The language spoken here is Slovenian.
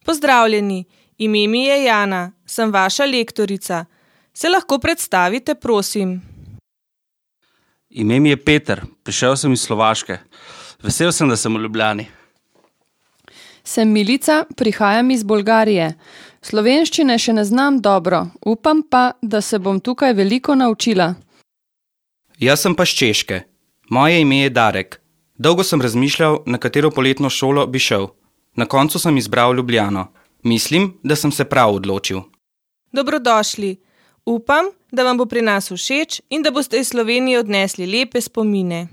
Pozdravljeni, ime mi je Jana, sem vaša lektorica. Se lahko predstavite, prosim? Ime mi je Peter, prišel sem iz Slovaške. Vesel sem, da sem v Ljubljani. Sem Milica, prihajam iz Bolgarije. Slovenščine še ne znam dobro, upam pa, da se bom tukaj veliko naučila. Jaz sem pa s Češke. Moje ime je Darek. Dolgo sem razmišljal, na katero poletno šolo bi šel. Na koncu sem izbral Ljubljano. Mislim, da sem se prav odločil. Dobrodošli. Upam, da vam bo pri nas všeč in da boste iz Slovenije odnesli lepe spomine.